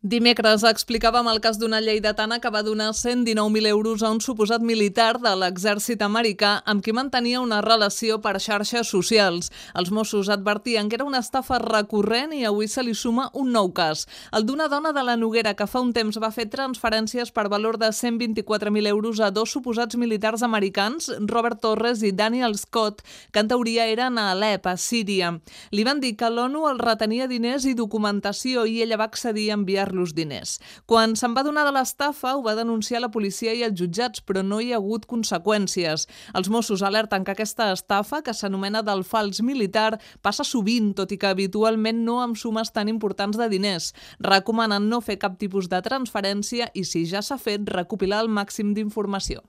Dimecres explicàvem el cas d'una lleidatana que va donar 119.000 euros a un suposat militar de l'exèrcit americà amb qui mantenia una relació per xarxes socials. Els Mossos advertien que era una estafa recurrent i avui se li suma un nou cas. El d'una dona de la Noguera que fa un temps va fer transferències per valor de 124.000 euros a dos suposats militars americans, Robert Torres i Daniel Scott, que en teoria eren a Alep, a Síria. Li van dir que l'ONU els retenia diners i documentació i ella va accedir a enviar-los diners. Quan se'n va donar de l'estafa, ho va denunciar la policia i els jutjats, però no hi ha hagut conseqüències. Els Mossos alerten que aquesta estafa, que s'anomena del fals militar, passa sovint, tot i que habitualment no amb sumes tan importants de diners. Recomanen no fer cap tipus de transferència i, si ja s'ha fet, recopilar el màxim d'informació.